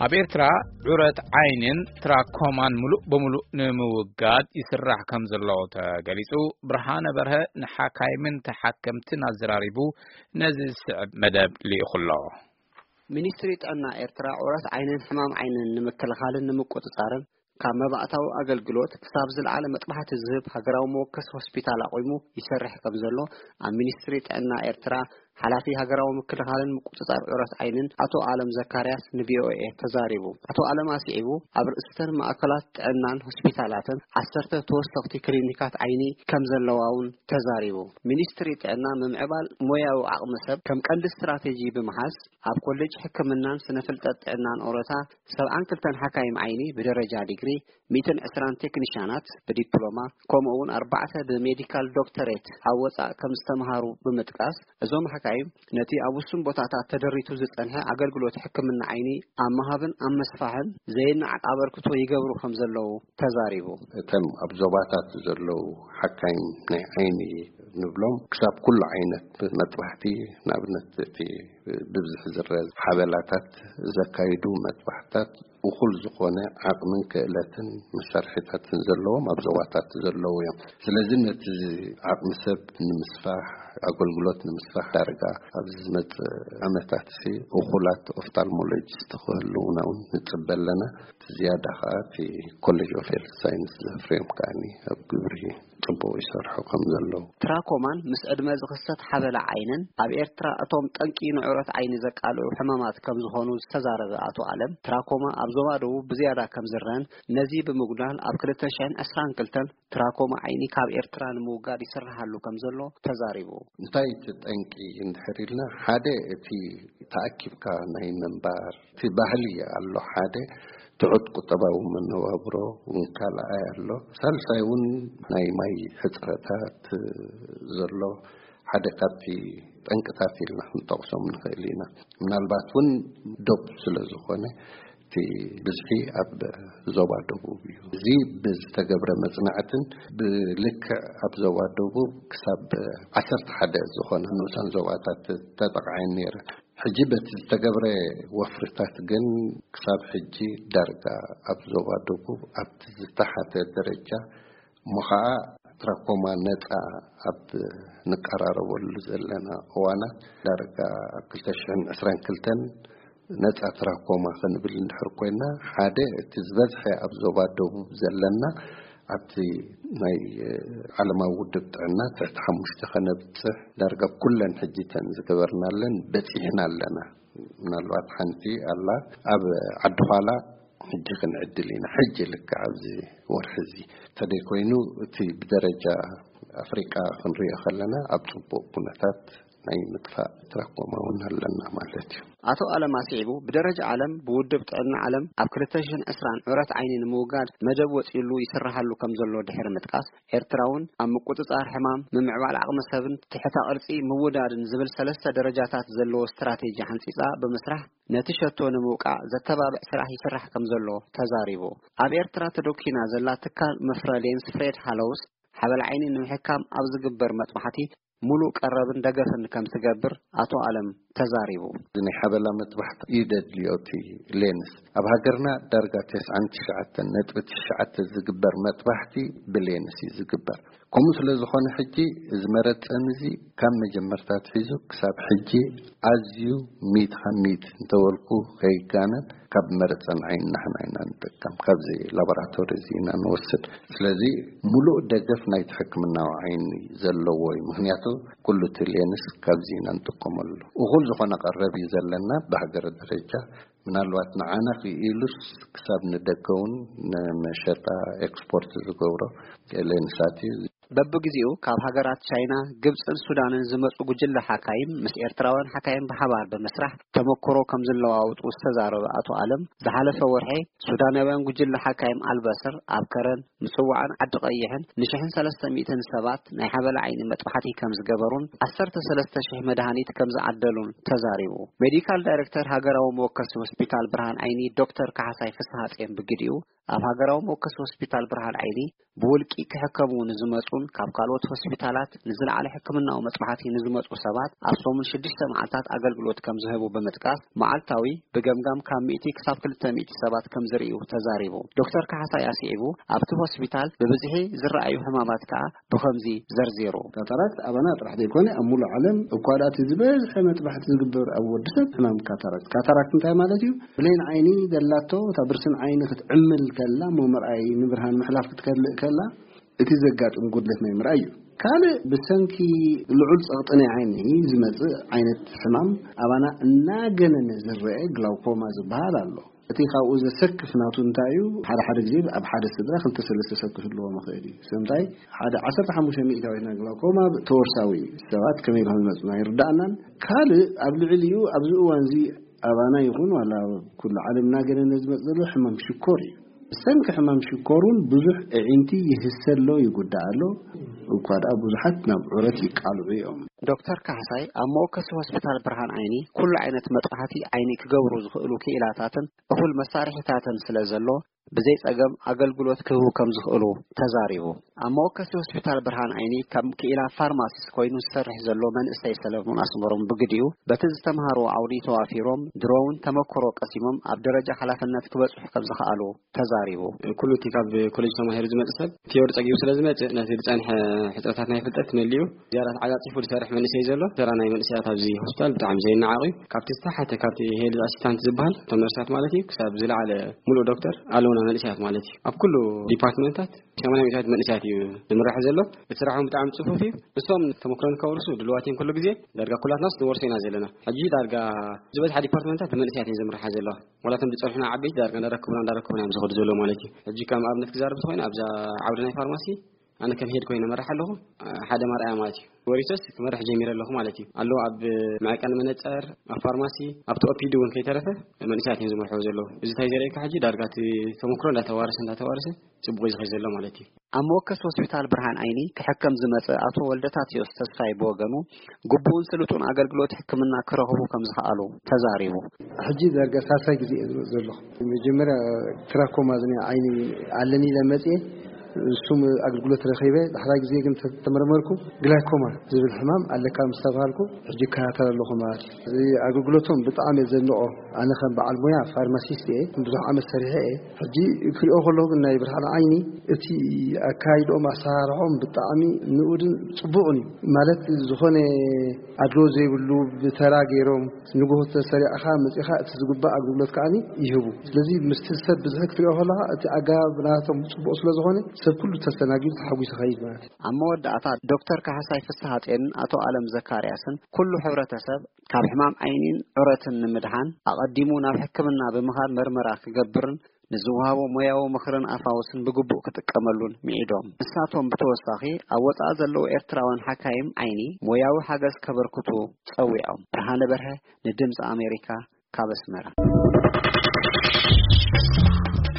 ኣብ ኤርትራ ዑረት ዓይንን ትራኮማን ምሉእ ብምሉእ ንምውጋድ ይስራሕ ከም ዘሎ ተገሊጹ። ብርሃነ በርሀ ንሓካይምን ተሓከምትን ኣዘራሪቡ ነዚ ዝስዕብ መደብ ልኢኹ ኣሎ። ሚኒስትሪ ጥዕና ኤርትራ ዑረት ዓይንን ሕማም ዓይንን ንምክልኻልን ንምቁጽጻርን ካብ መባእታዊ ኣገልግሎት ክሳብ ዝለዓለ መጥባሕቲ ዝህብ ሃገራዊ መወከሲ ሆስፒታል ኣቑሙ ይሰርሕ ከም ዘሎ ኣብ ሚኒስትሪ ጥዕና ኤርትራ ሓላፊ ሃገራዊ ምክልኻልን ምቁጽጻር ዑረት ዓይንን ኣቶ ኣለም ዘካርያስ ንቪኦኤ ተዛሪቡ። ኣቶ ኣለም ኣስዒቡ ኣብ ርእስተን ማእከላት ጥዕናን ሆስፒታላትን ዓሰርተ ተወሰኽቲ ክሊኒካት ዓይኒ ከም ዘለዋ እውን ተዛሪቡ። ሚኒስትሪ ጥዕና ምምዕባል ሞያዊ ዓቕሚ ሰብ ከም ቀንዲ ስትራቴጂ ብምሓዝ ኣብ ኮሌጅ ሕክምናን ስነ ፍልጠት ጥዕናን ኦሮታ ሰብዓን ክልተን ሓካይም ዓይኒ ብደረጃ ዲግሪ፣ ሚእትን ዕስራን ቴክኒሻናት ብዲፕሎማ፣ ከምኡ እውን ኣርባዕተ ብሜዲካል ዶክተሬት ኣብ ወጻእ ከም ዝተምሃሩ ብምጥቃስ፣ እዞም ሓካይም ነቲ ኣብ ውሱን ቦታታት ተደሪቱ ዝጸንሐ ኣገልግሎት ሕክምና ዓይኒ ኣብ ምሃብን ኣብ መስፋሕን ዘይነዓቕ ኣበርክቶ ይገብሩ ከም ዘለዉ ተዛሪቡ። እተን ኣብ ዞባታት ዘለዉ ሓካይም ናይ ዓይኒ ንብሎም ክሳብ ኩሉ ዓይነት መጥባሕቲ፣ ንኣብነት እቲ ብብዝሒ ዝረአ ሓበላታት ዘካይዱ መጥባሕታት እኹል ዝኾነ ዓቕምን ክእለትን መሳርሒታትን ዘለዎም ኣብ ዞባታት ዘለዉ እዮም። ስለዚ ነቲ ዓቕሚ ሰብ ንምስፋሕ፣ ኣገልግሎት ንምስፋሕ ዳርጋ ኣብዚ ዝመጽእ ዓመታት ሲ እኹላት ኦፍታልሞሎጂስት ክህልዉና እውን ንጽበ ኣለና። እቲ ዝያዳ ከኣ እቲ ኮሌጅ ኦፍ ሄልት ሳይንስ ዘፍርዮም ከኣኒ ኣብ ግብሪ ጽቡቕ ይሰርሑ ከም ዘለዉ። ትራኮማን ምስ ዕድመ ዝኽሰት ሓበላ ዓይንን ኣብ ኤርትራ እቶም ጠንቂ ንዑረት ዓይኒ ዘቃልዑ ሕማማት ከም ዝኾኑ ዝተዛረበ ኣቶ ኣለም፣ ትራኮማ ኣብ ዞባ ደቡብ ብዝያዳ ከም ዝረን ነዚ ብምጉዳል ኣብ ክልተ ሽሕን ዕስራን ክልተን ትራኮማ ዓይኒ ካብ ኤርትራ ንምውጋድ ይስርሓሉ ከም ዘሎ ተዛሪቡ። እንታይ እቲ ጠንቂ እንድሕር ኢልና፣ ሓደ እቲ ተኣኪብካ ናይ ምንባር እቲ ባህሊ ኣሎ፣ ሓደ ትሑት ቁጠባዊ መነባብሮ እውን ካልኣይ ኣሎ። ሳልሳይ እውን ናይ ማይ ሕጽረታት ዘሎ ሓደ ካብቲ ጠንቅታት ኢልና ክንጠቕሶም ንኽእል ኢና። ምናልባት እውን ዶብ ስለ ዝኾነ እቲ ብዝሒ ኣብ ዞባ ደቡብ እዩ። እዚ ብዝተገብረ መጽናዕትን ብልክዕ ኣብ ዞባ ደቡብ ክሳብ ዓሰርተ ሓደ ዝኾነ ንኡሳን ዞባታት ተጠቕዐን ነይረ። ሕጂ በቲ ዝተገብረ ወፍርታት ግን ክሳብ ሕጂ ዳርጋ ኣብ ዞባ ደቡብ ኣብቲ ዝተሓተ ደረጃ እሞ ኸዓ ትራኮማ ነጻ ኣብ ንቀራረበሉ ዘለና እዋናት ዳርጋ ኣብ ክልተ ሽሕን ዕስራን ክልተን ነጻ ትራኮማ ክንብል እንድሕር ኮይና፣ ሓደ እቲ ዝበዝሐ ኣብ ዞባ ደቡብ ዘለና ኣብቲ ናይ ዓለማዊ ውድብ ጥዕና ትሕቲ ሓሙሽተ ከነብጽሕ ዳርጋ ኩለን ሕጂ እተን ዝገበርናለን በጺሕና ኣለና። ምናልባት ሓንቲ ኣላ ኣብ ዓዲ ኋላ ሕጂ ክንዕድል ኢና። ሕጂ ልክዕ ኣብዚ ወርሒ እዚ እንተደይኮይኑ እቲ ብደረጃ ኣፍሪቃ ክንሪኦ ከለና ኣብ ጽቡቕ ኩነታት ናይ ምጥፋእ ትራኮማ እውን ኣለና ማለት እዩ። ኣቶ ኣለም ኣስዒቡ ብደረጃ ዓለም ብውድብ ጥዕና ዓለም ኣብ ክልተ ሽሕን ዕስራን ዑረት ዓይኒ ንምውጋድ መደብ ወጺሉ ይስርሓሉ ከም ዘሎ ድሕሪ ምጥቃስ፣ ኤርትራ እውን ኣብ ምቁጽጻር ሕማም፣ ምምዕባል ዓቕሚ ሰብን ትሕተ ቅርጺ ምውዳድን ዝብል ሰለስተ ደረጃታት ዘለዎ ስትራቴጂ ሓንጺጻ ብምስራሕ ነቲ ሸቶ ንምውቃዕ ዘተባብዕ ስራሕ ይስራሕ ከም ዘሎ ተዛሪቡ። ኣብ ኤርትራ ተዶኪና ዘላ ትካል መፍረ ሌንስ ፍሬድ ሃሎውስ ሓበል ዓይኒ ንምሕካም ኣብ ዝግበር መጥባሕቲ ሙሉእ ቀረብን ደገፍን ከም ትገብር ኣቶ ኣለም ተዛሪቡ። እዚ ናይ ሓበላ መጥባሕቲ እዩ ደድልዮ እቲ ሌንስ። ኣብ ሃገርና ዳርጋ ተስዓን ትሽዓተን ነጥቢ ትሽዓተ ዝግበር መጥባሕቲ ብሌንስ እዩ ዝግበር። ከምኡ ስለ ዝኾነ ሕጂ እዚ መረጸን እዚ ካብ መጀመርታ ኣትሒዙ ክሳብ ሕጂ ኣዝዩ ሚእቲ ካብ ሚእቲ እንተበልኩ ከይጋነን ካብ መረጸን ዓይኒ ንሕና ኢና ንጥቀም። ካብዚ ላቦራቶሪ እዚ ኢና ንወስድ። ስለዚ ሙሉእ ደገፍ ናይቲ ሕክምናዊ ዓይኒ ዘለዎ እዩ። ምኽንያቱ ኩሉ እቲ ሌንስ ካብዚ ኢና ንጥቀመሉ። እኹል ዝኾነ ቀረብ እዩ ዘለና ብሃገር ደረጃ። ምናልባት ንዓና ክኢሉስ ክሳብ ንደገ እውን ንመሸጣ ኤክስፖርት ዝገብሮ ሌንሳት እዩ። በብግዜኡ ካብ ሃገራት ቻይና፣ ግብጽን ሱዳንን ዝመጹ ጉጅለ ሓካይም ምስ ኤርትራውያን ሓካይም ብሓባር ብምስራሕ ተመክሮ ከም ዝለዋወጡ ዝተዛረበ ኣቶ ኣለም፣ ዝሓለፈ ወርሒ ሱዳናውያን ጉጅለ ሓካይም ኣልበስር ኣብ ከረን፣ ምጽዋዕን ዓዲ ቀይሕን ንሽሕን ሰለስተ ሚእትን ሰባት ናይ ሓበላ ዓይኒ መጥባሕቲ ከም ዝገበሩን ዓሰርተ ሰለስተ ሽሕ መድሃኒት ከም ዝዓደሉን ተዛሪቡ። ሜዲካል ዳይሬክተር ሃገራዊ መወከሲ ሆስፒታል ብርሃን ዓይኒ ዶክተር ካሕሳይ ፍስሃጽዮን ብግዲኡ፣ ኣብ ሃገራዊ መወከሲ ሆስፒታል ብርሃን ዓይኒ ብውልቂ ክሕከሙ ንዝመጹን ካብ ካልኦት ሆስፒታላት ንዝለዓለ ሕክምናዊ መጽናዕቲ ንዝመጹ ሰባት ኣብ ሰሙን ሽዱሽተ መዓልታት ኣገልግሎት ከም ዝህቡ ብምጥቃስ፣ መዓልታዊ ብገምጋም ካብ ሚእቲ ክሳብ ክልተ ሚእቲ ሰባት ከም ዝርእዩ ተዛሪቡ። ዶክተር ካሕሳይ ኣስዒቡ፣ ኣብቲ ሆስፒታል ብብዝሒ ዝረኣዩ ሕማማት ከኣ ብኸምዚ ዘርዚሩ። ካታራክት ኣባና ጥራሕ ዘይኮነ ኣብ ሙሉእ ዓለም እኳ ደኣ እቲ ዝበዝሐ መጥባሕቲ ዝግበር ኣብ ወዲ ሰብ ሕማም ካታራክት። ካታራክት እንታይ ማለት እዩ? ብሌን ዓይኒ ዘላቶ እታ ብርስን ዓይኒ ክትዕምል ከላ፣ እሞ ምርኣይ ንብርሃን ምሕላፍ ክትከልእ ከላ፣ እቲ ዘጋጥም ጉድለት ናይ ምርኣይ እዩ። ካልእ ብሰንኪ ልዑል ጸቕጢ ናይ ዓይኒ ዝመጽእ ዓይነት ሕማም ኣባና እናገነነ ዝረአ ግላውኮማ ዝበሃል ኣሎ። እቲ ካብኡ ዘሰክፍ ናቱ እንታይ እዩ? ሓደ ሓደ ግዜ ኣብ ሓደ ስድራ ክልተ ሰለስተ ሰብ ክህልዎም ይኽእል እዩ። ስለምንታይ? ሓደ ዓሰርተ ሓሙሽተ ሚእታዊት ናይ ግላውኮማ ተወርሳዊ ሰባት ከመይ ኢሎም ይመጹና ይርዳእናን። ካልእ ኣብ ልዕሊኡ ኣብዚ እዋን እዚ ኣባና ይኹን ዋላ ኣብ ኩሉ ዓለም እናገነነ ዝመጽእ ዘሎ ሕማም ሽኮር እዩ። ብሰንኪ ሕማም ሽኮር እውን ብዙሕ ኣዒንቲ ይህሰ ኣሎ፣ ይጉዳእ ኣሎ። እኳ ደኣ ብዙሓት ናብ ዑረት ይቃልዑ እዮም። ዶክተር ካሕሳይ ኣብ መወከሲ ሆስፒታል ብርሃን ዓይኒ ኩሉ ዓይነት መጥባሕቲ ዓይኒ ክገብሩ ዝኽእሉ ክኢላታትን እኹል መሳርሒታትን ስለ ዘሎ ብዘይ ጸገም ኣገልግሎት ክህቡ ከም ዝኽእሉ ተዛሪቡ። ኣብ መወከሲ ሆስፒታል ብርሃን ዓይኒ ከም ክኢላ ፋርማሲስት ኮይኑ ዝሰርሕ ዘሎ መንእሰይ ሰለሙን ኣስመሮም ብግዲኡ በቲ ዝተምሃርዎ ዓውዲ ተዋፊሮም ድሮውን ተመክሮ ቀሲሞም ኣብ ደረጃ ሓላፍነት ክበጽሑ ከም ዝኸኣሉ ተዛሪቡ። ኩሉ እቲ ካብ ኮሌጅ ተማሂሩ ዝመጽእ ሰብ ቲዮሪ ጸጊቡ ስለ ዝመጽእ ነቲ ዝጸንሐ ሕጽረታት ናይ ፍልጠት መሊኡ ዝያዳ ተዓጻጺፉ ዝሰርሕ መንእሰይ ዘሎ። ተራ ናይ መንእሰያት ኣብዚ ሆስፒታል ብጣዕሚ ዘይነዓቕ እዩ። ካብቲ ዝተሓተ ካብቲ ሄልዝ ኣሲስታንት ዝበሃል እቶም ነርሳት ማለት እዩ ክሳብ ዝለዓለ ሙሉእ ዶክተር ኣለውና መንእሰያት ማለት እዩ። ኣብ ኩሉ ዲፓርትመንታት ሰማንያ ሚእታዊት መንእሰያት እዩ ዝምራሕ ዘሎ። እቲ ስራሕ እውን ብጣዕሚ ጽፉፍ እዩ። እሶም ተመክሮ ንከውርሱ ድልዋት እዮም ኩሉ ግዜ። ዳርጋ ኩላትናስ ንወርሶ ኢና ዘለና። ሕጂ ዳርጋ ዝበዝሓ ዲፓርትመንታት ብመንእሰያት እየን ዝምርሓ ዘለዋ። ዋላ እቶም ዝጸንሑና ዓበይቲ ዳርጋ እንዳረከቡና እንዳረከቡና እዮም ዝኸዱ ዘለዉ ማለት እዩ። ሕጂ ከም ኣብነት ክዛረብ እንተኾይነ ኣብዛ ዓውዲ ናይ ፋርማሲ ኣነ ከም ሄድ ኮይነ መራሕ ኣለኹ። ሓደ ማርኣያ ማለት እዩ። ወሪሶስ ክመርሕ ጀሚረ ኣለኹ ማለት እዩ። ኣለዉ ኣብ መዐቀኒ መነጸር፣ ኣብ ፋርማሲ፣ ኣብቲ ኦፒዲ እውን ከይተረፈ መንእሰያት እዮም ዝመርሕዎ ዘለዉ። እዚ እንታይ ዘርእየካ ሕጂ ዳርጋ እቲ ተመክሮ እንዳተዋረሰ እንዳተዋረሰ ጽቡቕ እዩ ዝኸይድ ዘሎ ማለት እዩ። ኣብ መወከሲ ሆስፒታል ብርሃን ዓይኒ ክሕከም ዝመጸ ኣቶ ወልደታትዮስ ተስፋይ ብወገኑ ግቡእን ስሉጥን ኣገልግሎት ሕክምና ክረኽቡ ከም ዝኸኣሉ ተዛሪቡ። ሕጂ ዳርጋ ሳልሳይ ግዜ እየ ዝመጽእ ዘለኹ። መጀመርያ ትራኮማ ዝኒ ዓይኒ ኣለኒ ኢለ መጽየ፣ እሱም ኣገልግሎት ረኺበ። ዳሕራይ ግዜ ግን ተ-፣ ተመርመርኩ፣ ግላይኮማ ዝብል ሕማም ኣለካ ምስ ተባሃልኩ፣ ሕጂ እከታተል ኣለኹ ማለት እዩ። እዚ ኣገልግሎቶም ብጣዕሚ እየ ዘድንቖ። ኣነ ከም በዓል ሞያ ፋርማሲስት እየ፣ ብዙሕ ዓመት ሰሪሐ እየ። ሕጂ ክሪኦ ከለኹ ግን ናይ ብርሃን ዓይኒ እቲ ኣካይድኦም ኣሰራርሖም ብጣዕሚ ንኡድን ጽቡቕን እዩ። ማለት ዝኾነ ኣድሎ ዘይብሉ ብተራ ገይሮም ንግሆ ተሰሪዕኻ መጺኻ እቲ ዝግባእ ኣገልግሎት ከዓኒ ይህቡ። ስለዚ ምስቲ ሰብ ብዝሒ ክትሪኦ ከለኻ እቲ ኣገባብ ናቶም ጽቡቕ ስለ ዝኾነ ሰብ ኩሉ ተስተናጊዱ ተሓጒሱ ይኸይድ ማለት እዩ። ኣብ መወዳእታ ዶክተር ካሕሳይ ፍስሓጼንን ኣቶ ኣለም ዘካርያስን ኩሉ ሕብረተሰብ ካብ ሕማም ዓይኒን ዑረትን ንምድሓን ኣቐዲሙ ናብ ሕክምና ብምኻድ መርመራ ክገብርን ንዝወሃቦ ሞያዊ ምኽርን ኣፋውስን ብግቡእ ክጥቀመሉን ምዒዶም። ንሳቶም ብተወሳኺ ኣብ ወጻኢ ዘለዉ ኤርትራውያን ሓካይም ዓይኒ ሞያዊ ሓገዝ ከበርክቱ ጸዊዖም። ብርሃነ በርሀ ንድምጺ ኣሜሪካ ካብ ኣስመራ።